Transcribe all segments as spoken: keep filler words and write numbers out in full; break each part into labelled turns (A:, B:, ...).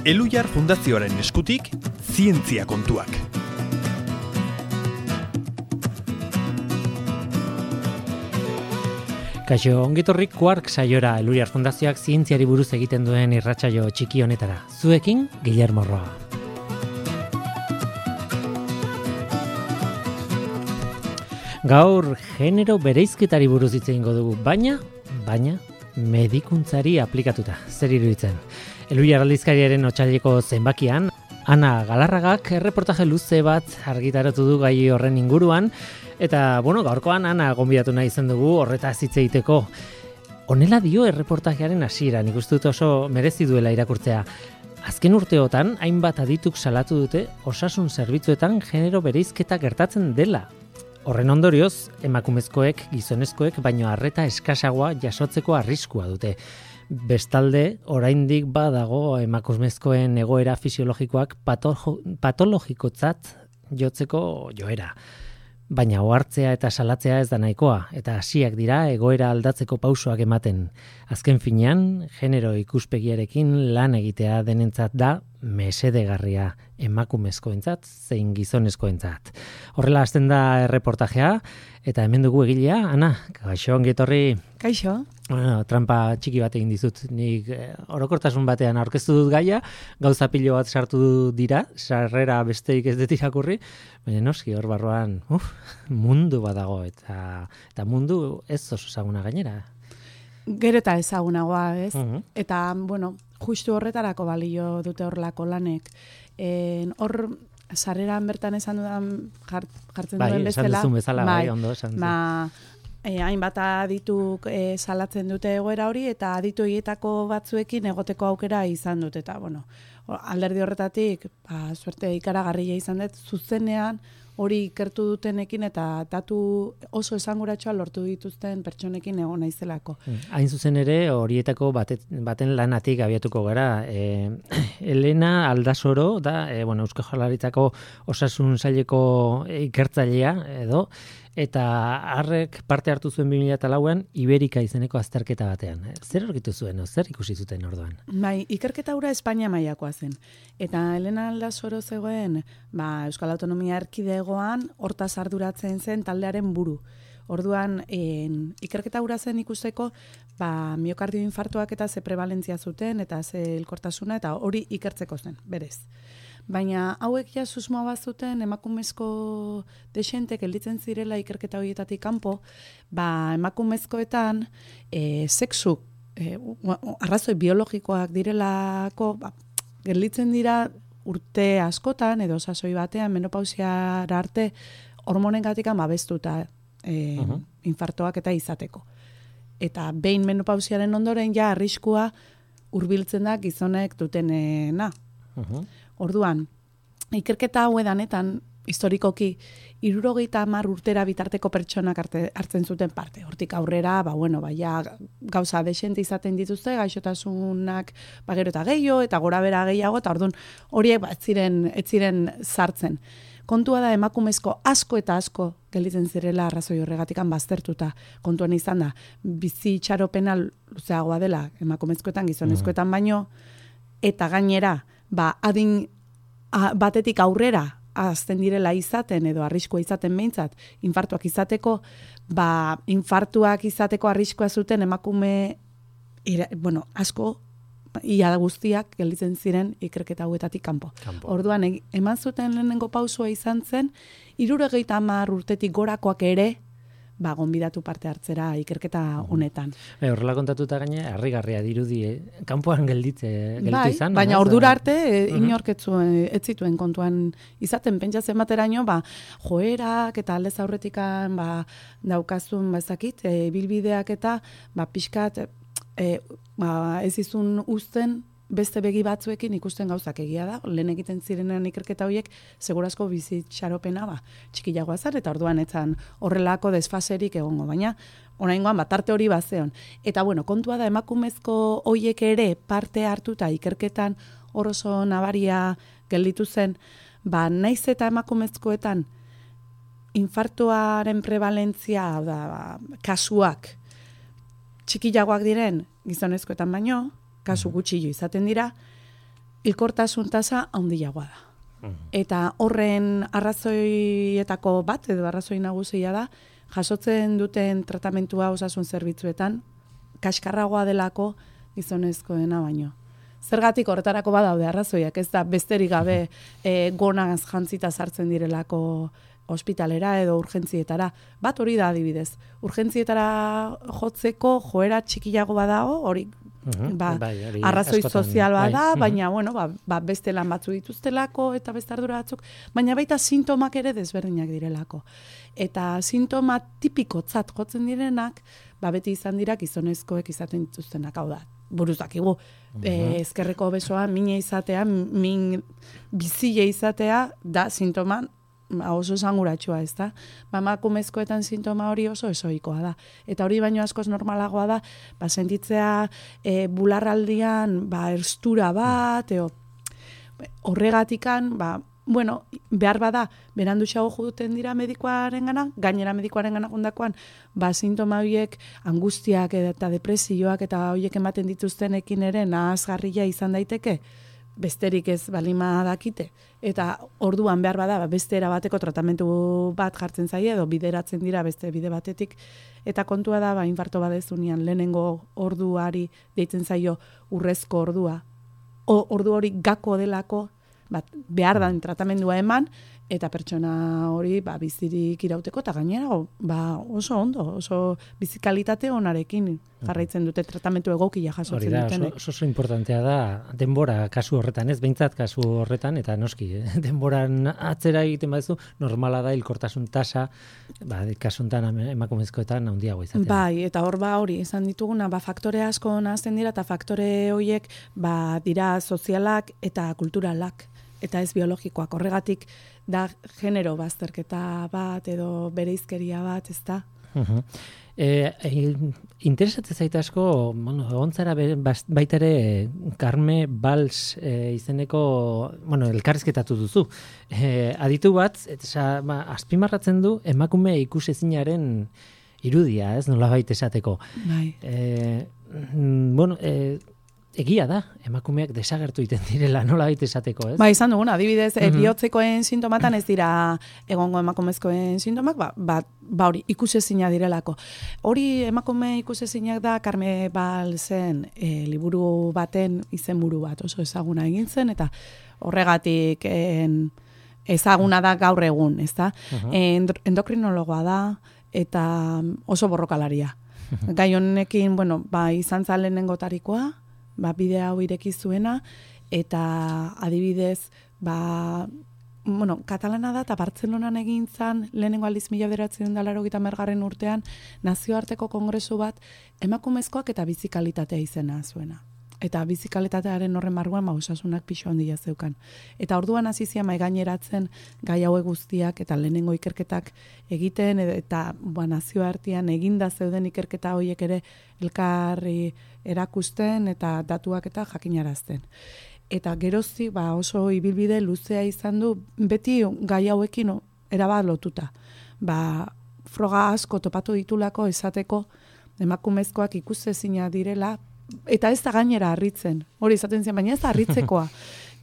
A: Elhuyar Fundazioaren eskutik, zientzia kontuak.
B: Kaixo, ongitorrik Quark saiora Elhuyar Fundazioak zientziari buruz egiten duen irratsaio txiki honetara. Zuekin, Guillermo Roa. Gaur genero bereizketari buruz hitz egingo dugu, baina, baina, medikuntzari aplikatuta. Zer iruditzen? Elhuyar aldizkariaren otsaileko zenbakian, Ana Galarragak erreportaje luze bat argitaratu du gai horren inguruan, eta, bueno, gaurkoan Ana gonbidatu nahi izan dugu horretaz hitz egiteko. Honela dio erreportajearen hasiera, nik uste dut oso merezi duela irakurtzea. Azken urteotan, hainbat adituk salatu dute osasun zerbitzuetan genero bereizketa gertatzen dela. Horren ondorioz, emakumezkoek, gizonezkoek, baino arreta eskasagoa jasotzeko arriskua dute. Bestalde, oraindik badago emakumezkoen egoera fisiologikoak patologikotzat jotzeko joera. Baina ohartzea eta salatzea ez da nahikoa, eta hasiak dira egoera aldatzeko pausoak ematen. Azken finean, genero ikuspegiarekin lan egitea denentzat da mesedegarria emakumezkoentzat zein gizonezkoentzat. Horrela hasten da erreportajea, eta hemen dugu egilea, Ana, kaixo ongi etorri.
C: Kaixo.
B: Bueno, trampa txiki bat egin dizut. Nik eh, orokortasun batean aurkeztu dut gaia, gauza pilo bat sartu dira, sarrera besteik ez dut irakurri, baina noski hor barruan, uf, mundu badago, eta, eta mundu ez oso ezaguna gainera.
C: Gero eta ezagunagoa, ez?
B: Uh-huh.
C: Eta, bueno, justu horretarako balio dute horrelako lanek. En, hor, sarreran bertan esan dudan jart, jartzen
B: bai,
C: duen bezala.
B: Bai, esan duzun bezala, bai,
C: bai
B: ondo esan duzun.
C: Ba, E, hainbat adituk e, salatzen dute egoera hori, eta aditu horietako batzuekin egoteko aukera izan dut, eta bueno, alderdi horretatik, ba, suerte ikaragarria izan dut, zuzenean hori ikertu dutenekin eta datu oso esanguratsuak lortu dituzten pertsonekin egon naizelako.
B: Hain zuzen ere, horietako batet, baten lanatik abiatuko gara. E, Elena Aldasoro da, e, bueno, Eusko Jaurlaritzako osasun saileko ikertzailea edo, eta harrek parte hartu zuen bi mila lauan Iberika izeneko azterketa batean. Zer aurkitu zuen, zer ikusi zuten orduan?
C: Bai, ikerketa hura Espainia mailakoa zen. Eta Elena Aldasoro zegoen, ba, Euskal Autonomia Erkidegoan hortaz arduratzen zen taldearen buru. Orduan, en, ikerketa hura zen ikusteko, ba, miokardio infartuak eta ze prevalentzia zuten, eta ze elkortasuna, eta hori ikertzeko zen, berez. Baina hauek ja susmoa bazuten emakumezko desente gelditzen zirela ikerketa horietatik kanpo, ba emakumezkoetan e, sexu e, arrazoi biologikoak direlako, ba, gelditzen dira urte askotan edo sasoi batean menopausiara arte hormonengatikan babestuta e, uh-huh. infartoak eta izateko. Eta behin menopausiaren ondoren ja arriskua hurbiltzen da gizonek dutenena. Uh-huh. Orduan, ikerketa hau edanetan, historikoki, hirurogeita hamar urtera bitarteko pertsonak arte, hartzen zuten parte. Hortik aurrera, ba, bueno, ba, ja, gauza desente izaten dituzte, gaixotasunak ba, gero eta gehiago, eta gora bera gehiago, eta orduan horiek ba, ez ziren, ez ziren sartzen. Kontua da emakumezko asko eta asko gelditzen zirela arrazoi horregatikan baztertuta. Kontuan izan da, bizi itxaropena luzeagoa dela emakumezkoetan, gizonezkoetan baino, eta gainera, ba, adin a, batetik aurrera azten direla izaten edo arriskua izaten behintzat, infartuak izateko, ba, infartuak izateko arriskua zuten emakume, ira, bueno, asko, ia guztiak gelditzen ziren ikerketa hauetatik kanpo. kanpo. Orduan, e, eman zuten lehenengo pausua izan zen, hirurogeita hamar urtetik gorakoak ere, ba, gonbidatu parte hartzera ikerketa honetan.
B: E, horrela kontatuta gaine, harrigarria dirudi, eh? Kanpoan gelditze, gelditu
C: bai,
B: izan.
C: Baina
B: no?
C: ordura arte, e, inork ez zituen kontuan izaten, pentsatzen bateraino, ba, joerak eta aldez aurretikan ba, daukazun bazakit, e, bilbideak eta ba, pixkat e, ba, ez izun uzten beste begi batzuekin ikusten gauzak egia da, lehen egiten zirenean ikerketa horiek, segurazko bizitxaropena ba, txikiagoa zan, eta orduan etzan horrelako desfaserik egongo, baina oraingoan bat arte hori bazeon. Eta bueno, kontua da emakumezko horiek ere parte hartuta ikerketan hor oso nabaria gelditu zen, ba, naiz eta emakumezkoetan infartuaren prevalentzia, da, ba, kasuak txikiagoak diren gizonezkoetan baino, kasu gutxillo izaten dira, hilkortasun tasa handiagoa da. Eta horren arrazoietako bat, edo arrazoi nagusia da, jasotzen duten tratamentua osasun zerbitzuetan, kaskarragoa delako gizonezkoena baino. Zergatik horretarako badaude arrazoiak, ez da besterik gabe e, gonaz jantzita sartzen direlako ospitalera edo urgentzietara. Bat hori da adibidez. Urgentzietara jotzeko joera txikiago badago, hori ba, bai, arrazoi askotan, sozial bada, bai. Baina bueno, ba, ba, beste lan batzu dituztelako eta beste ardura batzuk, baina baita sintomak ere desberdinak direlako. Eta sintoma tipikotzat jotzen direnak, ba, beti izan dira gizonezkoek izaten dituztenak, hau da. Buruz dakigu, uh-huh. e, ezkerreko besoa, mine izatea, min bizile izatea, da sintoma oso esanguratsua, ez da? Ba, emakumezkoetan sintoma hori oso esoikoa da. Eta hori baino askoz normalagoa da, ba, sentitzea e, bularraldian, ba, erstura bat, eo, horregatikan, ba, bueno, behar bada, beranduxago juduten dira medikoaren gana, gainera medikoaren gana jundakoan, ba, sintoma horiek angustiak eta depresioak eta horiek ematen dituztenekin ere nahazgarria izan daiteke, besterik ez balima dakite. Eta orduan behar bada, beste erabateko tratamentu bat jartzen zaie, edo bideratzen dira beste bide batetik. Eta kontua da, ba, infarto badezunean, lehenengo orduari deitzen zaio urrezko ordua. O, ordu hori gako delako, bat, behar da tratamendua eman, eta pertsona hori ba, bizirik irauteko, eta gainera ba, oso ondo, oso bizikalitate onarekin jarraitzen dute tratamentu egokia jasotzen dutenek.
B: Oso, oso importantea da denbora kasu horretan, ez behintzat kasu horretan, eta noski, eh? denboran atzera egiten baduzu, normala da hilkortasun tasa, ba, kasuntan emakumezkoetan handiago izatea.
C: Bai, eta hor ba hori, izan dituguna, ba, faktore asko nahazten dira, eta faktore horiek ba, dira sozialak eta kulturalak. Eta ez biologikoak, horregatik da genero bazterketa bat edo bereizkeria bat, ez da?
B: Uh-huh. E, e, interesatzen zaite asko, bueno, egon zara baita ere Carme Valls e, izeneko, bueno, elkarrizketatu duzu. E, aditu bat, eta ba, azpimarratzen du emakume ikusezinaren irudia, ez nola baita esateko.
C: Bai.
B: E, bueno, e, egia da, emakumeak desagertu egiten direla, nola baita esateko, ez?
C: Ba, izan duguna, adibidez, mm-hmm. bihotzekoen sintomatan ez dira egongo emakumezkoen sintomak, ba, ba, ba hori, ikusezina direlako. Hori emakume ikusezinak da, Carme Vallsen e, liburu baten izenburu bat, oso ezaguna egin zen, eta horregatik en, ezaguna da gaur egun, ez da? Uh-huh. Endokrinologoa da, eta oso borrokalaria. Gai honekin, bueno, ba, izan zalenengo tarikoa, ba, bide hau ireki zuena, eta adibidez, ba, bueno, katalana da, eta Bartzelonan egin zan, lehenengo aldiz mila bederatziehun eta laurogeita hamargarren urtean, nazioarteko kongresu bat, emakumezkoak eta bizikalitatea izena zuena. Eta bizikalitatearen horren marguan, ba, osasunak pixo handia zeukan. Eta orduan hasi zian mai gaineratzen gai hauek guztiak eta lehenengo ikerketak egiten, eta ba, nazioartean eginda zeuden ikerketa horiek ere elkarri erakusten eta datuak eta jakinarazten. Eta gerozti ba, oso ibilbide luzea izan du, beti gai hauekin erabat lotuta. Ba, froga asko topatu ditulako esateko emakumezkoak ikusezina direla, eta ez da gainera harritzen. Hori izaten zen, baina ez da harritzekoa.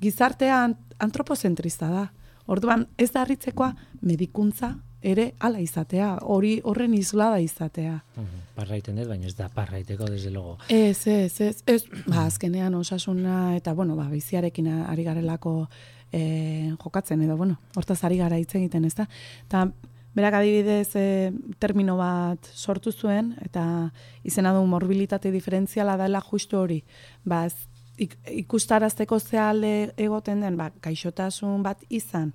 C: Gizartea antropozentrista da. Orduan ez da harritzekoa medikuntza ere hala izatea, hori horren islada izatea.
B: Uh-huh. Parraiten ez, baina ez da parraiteko, desde logo.
C: Ez, ez, ez, ez, ba, azkenean osasuna eta, bueno, ba, biziarekin ari garelako eh, jokatzen, edo, bueno, hortaz ari gara hitz egiten, ez da? Eta, berak adibidez e, termino bat sortu zuen, eta izena du morbilitate diferentziala dela justu hori. Ba, ik, ikustarazteko zehalde egoten den, ba, gaixotasun bat izan,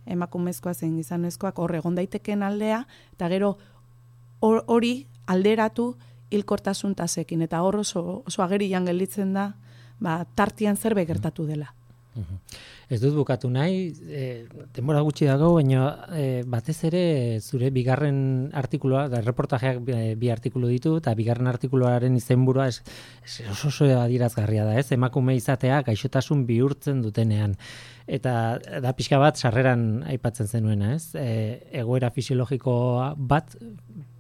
C: emakumezkoa zein gizonezkoak hor egon daiteken aldea, eta gero hori alderatu hilkortasun tasekin, eta hor oso, oso agerian gelditzen da, ba, tartian zerbait gertatu dela.
B: Uh-huh. Ez dut bukatu nahi, e, denbora gutxi dago, baina e, batez ere zure bigarren artikulua, da reportajeak bi, bi artikulu ditu, eta bigarren artikuluaren izenburua es, es oso oso adierazgarria da, ez? Emakume izatea gaixotasun bihurtzen dutenean. Eta da pixka bat sarreran aipatzen zenuena, ez? E, egoera fisiologiko bat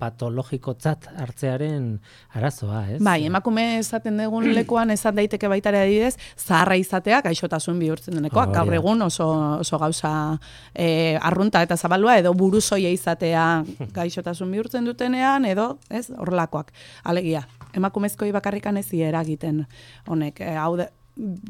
B: patologikotzat hartzearen arazoa, ez?
C: Bai, emakume esaten dugun lekuan esan daiteke baita ere adibidez, zaharra izatea gaixotasun bihurtzen denekoa. Gaur egun oso, oso gauza e, arrunta eta zabalua, edo buruzoia izatea gaixotasun bihurtzen dutenean, edo, ez, horrelakoak. Alegia, emakumezkoi bakarrikan ez eragiten honek, e, hau da,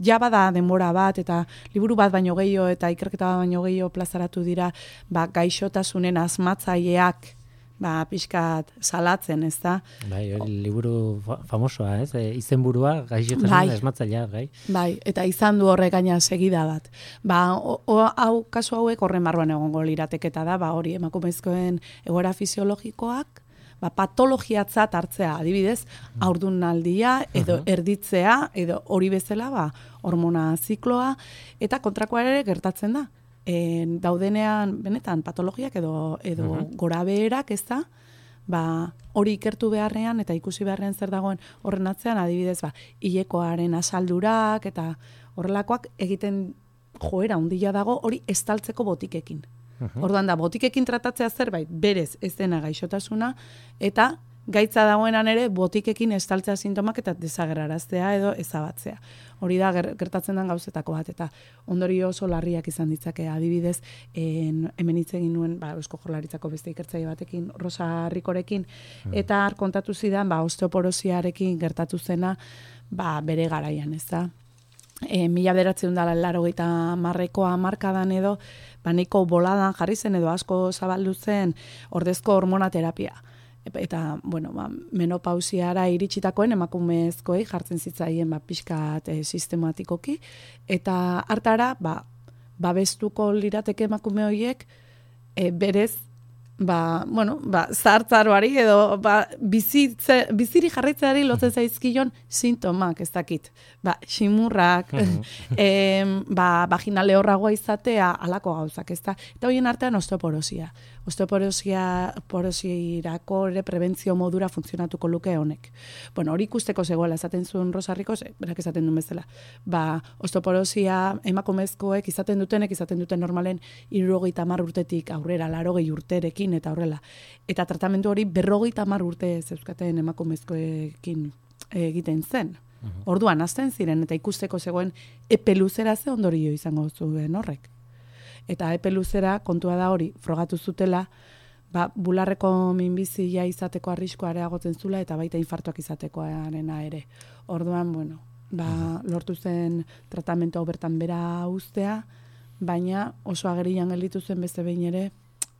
C: ja bada denbora bat eta liburu bat baino gehiago eta ikerketa bat baino gehiago plazaratu dira ba, gaixotasunen asmatzaileak ba, pixkat salatzen, ez da?
B: Bai, liburu famosoa, ez? E, izenburua gaixotasunen asmatzailea, gai?
C: Bai, eta izan du horrek gaina segida bat. Ba, o, o, hau, kasu hauek horren barruan egongo lirateketa da, ba, hori emakumezkoen egoera fisiologikoak, ba, patologiatzat hartzea, adibidez, haurdunaldia, edo erditzea, edo hori bezala, ba, hormona zikloa, eta kontrakoa ere gertatzen da. E, daudenean, benetan, patologiak edo, edo uh-huh. gorabeherak, ez da, ba, hori ikertu beharrean, eta ikusi beharrean zer dagoen horren atzean, adibidez, ba, hilekoaren asaldurak, eta horrelakoak egiten joera handia dago, hori estaltzeko botikekin. Uh-huh. Orduan da, botikekin tratatzea zerbait, berez ez dena gaixotasuna, eta gaitza dagoenan ere botikekin estaltzea sintomak eta desagerraraztea edo ezabatzea. Hori da gertatzen den gauzetako bat, eta ondorio oso larriak izan ditzake, adibidez, en, hemen hitz egin nuen, ba, Eusko Jaurlaritzako beste ikertzaile batekin, Rosa Rikorekin, uh-huh. eta har kontatu zidan, ba, osteoporosiarekin gertatu zena, ba, bere garaian, ez da? E, mila bederatzeun dala laurogeita hamarrekoa hamarkadan edo, ba, nahiko boladan jarri zen edo asko zabaldu zen ordezko hormonaterapia. Eta, bueno, ba, menopausiara iritsitakoen emakumezkoei jartzen zitzaien ba, pixkat e, sistematikoki, eta hartara, ba, babestuko lirateke emakume horiek e, berez, ba, bueno, ba, zahartzaroari edo ba, bizitze, biziri jarraitzeari lotzen zaizkion sintomak, ez dakit. Ba, ximurrak, e, ba, vaginal lehorragoa izatea, alako gauzak, ez da? Eta horien artean osteoporosia. Osteoporosia porosirako ere prebentzio modura funtzionatuko luke honek. Bueno, hori ikusteko zegoela esaten zuen Rosa Rikos, berak esaten duen bezala. Ba, osteoporosia emakumezkoek izaten dutenek, izaten duten normalen hirurogeita hamar urtetik aurrera, laurogei urterekin eta horrela. Eta tratamendu hori berrogeita hamar urte zeuzkaten emakumezkoekin egiten zen. Uh-huh. Orduan hasten ziren eta ikusteko zegoen epe luzera ze ondorio izango zuen horrek. Eta epe luzera kontua da hori frogatu zutela, ba, bularreko minbizia izateko arriskoa areagotzen zula eta baita infartuak izatekoarena ere. Orduan, bueno, ba, lortu zen tratamentu hau bertan bera uztea, baina oso agerian gelditu zen beste behin ere,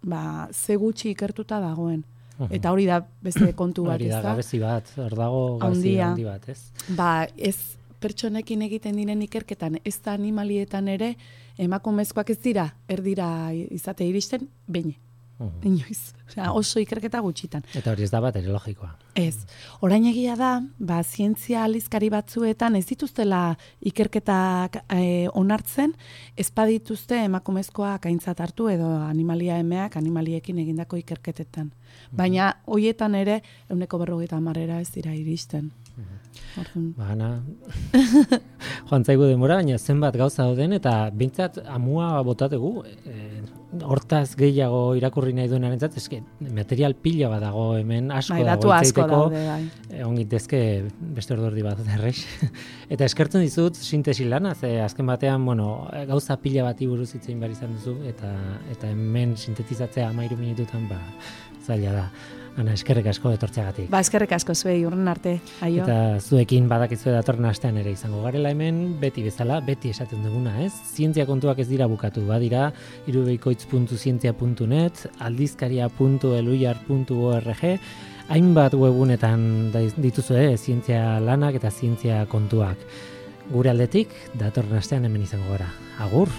C: ba, ze gutxi ikertuta dagoen. Eta hori da beste kontu bat, ez da?
B: Hori da gabezi bat, hor dago gabezi handi bat, ez?
C: Ba, ez pertsonekin egiten diren ikerketan, ez da animalietan ere, emakumezkoak ez dira, erdira izate iristen, behin. Uh-huh. Inoiz. Osea, oso ikerketa gutxitan.
B: Eta hori ez da bat ere logikoa.
C: Ez. Orain egia da, ba, zientzia aldizkari batzuetan ez dituztela ikerketak e, onartzen, ez badituzte emakumezkoak aintzat hartu edo animalia emeak animaliekin egindako ikerketetan. Baina hoietan ere ehuneko berrogeita hamarera ez dira iristen.
B: Uh-huh. Ba, Ana, joan zaigu denbora, baina zenbat gauza dauden eta bintzat amua botategu, e, hortaz gehiago irakurri nahi duenarentzat, eske material pila bat dago hemen, asko
C: bai,
B: dago
C: itzaiteko,
B: e, ongitezke beste ordordi bat derrex. Eta eskertzen dizut sintesi lana, ze azken batean, bueno, gauza pila bati buruz hitz egin behar izan duzu, eta, eta hemen sintetizatzea hamairu minututan, ba, zaila da. Ana, eskerrek asko etortzeagatik.
C: Ba, eskerrek asko zuei, urren arte, aio.
B: Eta zuekin badakizue datorren astean ere izango garela hemen, beti bezala, beti esaten duguna, ez? Zientzia kontuak ez dira bukatu, badira, irubeikoitz puntu zientzia puntu net, aldizkaria puntu eluiar puntu org, hainbat webunetan dituzue, zientzia lanak eta zientzia kontuak. Gure aldetik, datorren astean hemen izango gara. Agur!